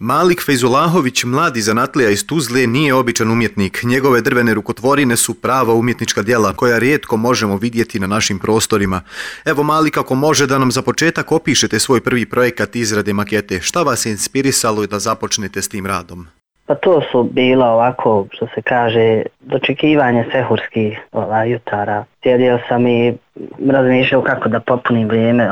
Malik Fejzulahović, mladi zanatlija iz Tuzle, nije običan umjetnik. Njegove drvene rukotvorine su prava umjetnička djela koja rijetko možemo vidjeti na našim prostorima. Evo Malik, ako može da nam za početak opišete svoj prvi projekat izrade makete. Šta vas je inspirisalo da započnete s tim radom? Pa to su bila ovako, što se kaže, dočekivanje sehurskih jutara. Sjedio sam i razmišljao kako da popunim vrijeme,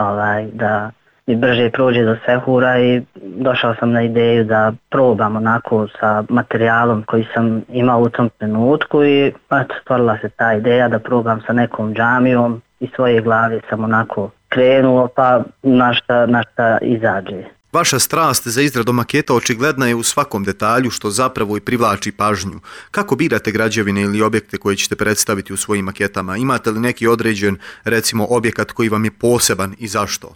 da mi brže prođe do sehura i došao sam na ideju da probam onako sa materijalom koji sam imao u tom trenutku i stvorila se ta ideja da probam sa nekom džamijom i svoje glave sam onako krenuo pa na šta izađe. Vaša strast za izradu maketa očigledna je u svakom detalju što zapravo i privlači pažnju. Kako birate građevine ili objekte koje ćete predstaviti u svojim maketama? Imate li neki određen, recimo, objekat koji vam je poseban i zašto?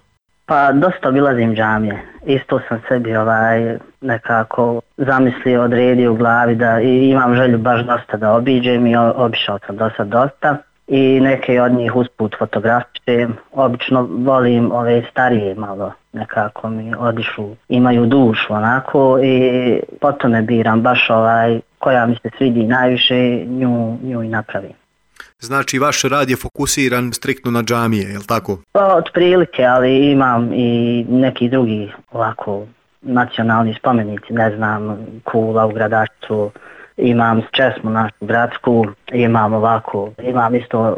Pa dosta obilazim džamije. Isto sam sebi nekako zamislio, odredio u glavi da imam želju baš dosta da obiđem i obišao sam dosta. I neke od njih usput fotografišem. Obično volim ove starije malo, nekako mi odišu, imaju dušu onako i potom ne biram baš koja mi se svidi najviše, nju i napravim. Znači vaš rad je fokusiran striktno na džamije, je li tako? Pa otprilike, ali imam i neki drugi ovako nacionalni spomenici, ne znam, Kula u Gradačcu, imam česmu našu gradsku, imam isto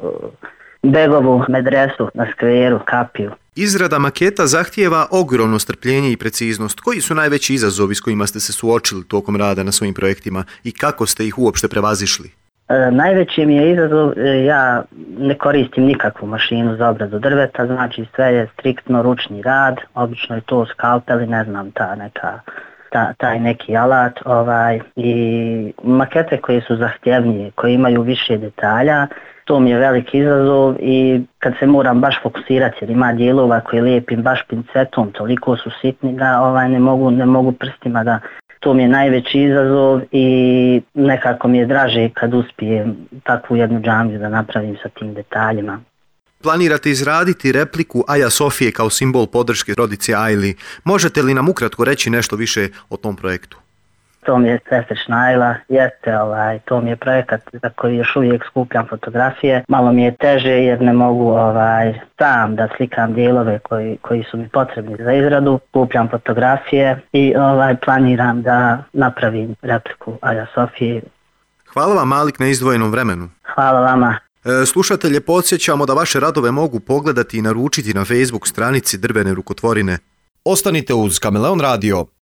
Begovu medresu na skveru, kapiju. Izrada maketa zahtijeva ogromno strpljenje i preciznost. Koji su najveći izazovi s kojima ste se suočili tokom rada na svojim projektima i kako ste ih uopšte prevazišli? Najveći mi je izazov, ja ne koristim nikakvu mašinu za obradu drveta, znači sve je striktno ručni rad, obično je to skalpel i ne znam taj neki alat i makete koje su zahtjevnije, koje imaju više detalja, to mi je veliki izazov i kad se moram baš fokusirati jer ima dijelova koje lijepim baš pincetom, toliko su sitni da ne mogu prstima da, to mi je najveći izazov i nekako mi je draže kad uspijem takvu jednu džamiju da napravim sa tim detaljima. Planirate izraditi repliku Aja Sofije kao simbol podrške rodici Ajli. Možete li nam ukratko reći nešto više o tom projektu? To mi je sestrična Ajla, to mi je projekat za koji još uvijek skupljam fotografije. Malo mi je teže jer ne mogu sam da slikam dijelove koji su mi potrebni za izradu. Skupljam fotografije i planiram da napravim repliku Aja Sofije. Hvala vam Malik na izdvojenom vremenu. Hvala vama. Slušatelje, podsjećamo da vaše radove mogu pogledati i naručiti na Facebook stranici Drvene rukotvorine. Ostanite uz Kameleon Radio.